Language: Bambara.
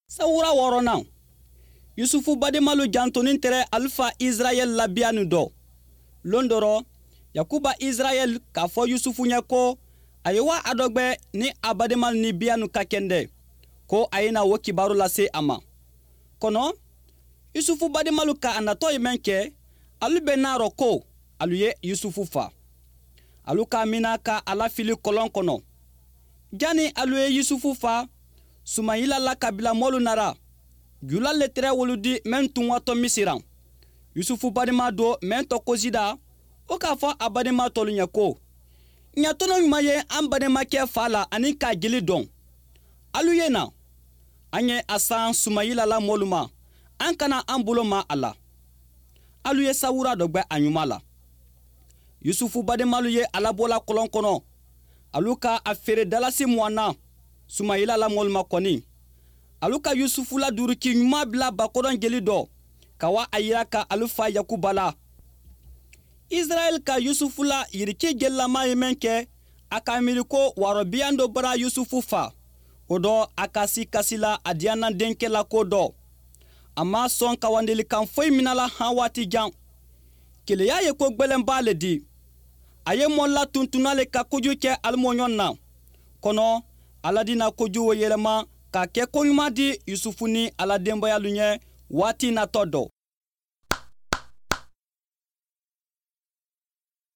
Sawura wɔɔrɔnan, Yusufu badenmalu jantonin tɛrɛ alu fa Israɛl la biyanin dɔ. Lon dɔ rɔ, Yakuba Israɛl k'a fɔ Yusufu ɲɛ ko a ye wa a dɔgbɛ ni a badenmalu ni biyanu ka kɛndɛ, ko a ye na o kibaru lase a ma. Kɔnɔ, Yusufu badenmalu ka a natɔ ye mɛn kɛ, alu bɛnn'a rɔ ko alu ye Yusufu fa. Alu k'a mina ka a lafili kɔlɔn kɔnɔ. Jani alu ye Yusufu fa, Sumayila la kabila mɔlu nara. Jula le tɛrɛ wolu di mɛn tun watɔ Misiran. Yusufu badenma dɔ mɛn tɔ ko Zida, o k'a fɔ a badenma tɔlu ɲɛ ko: Ɲa tɔnɔ ɲuman ye an badenmakɛ fa la ani k'a jeli dɔn. Alu ye na, an ye a san Sumayila la mɔlu ma, an kana an bolo ma a la. Alu ye sawura dɔ gwɛ a ɲuman la. Yusufu badenmalu ye a labɔla kɔlɔn kɔnɔ. Alu ka a feere dalasi 20 na Sumayila la mɔlu ma kɔni. Alu ka Yusufu la duuruki ɲuman bila bakɔrɔn jeli dɔ, ka wa a yira ka alu fa Yakuba la. Israɛl ka Yusufu la yiriki jelilama ye mɛn kɛ, a k'a miiri ko wɔrɔbiyan dɔ bara Yusufu fa. O dɔ, a ka si kasi la a diyanna denkɛ la ko dɔ. A ma sɔn kawandelikan foyi minala han waati jan. Keleya ye ko gwɛlɛnba le di. A ye mɔ latuntunna le ka koju kɛ alimɔɲɔgɔn na. Kɔnɔ, Ala di na koju wo yɛlɛma ka kɛ ko ɲuman di Yusufu ni a la denbayalu ɲɛ waati natɔ dɔ.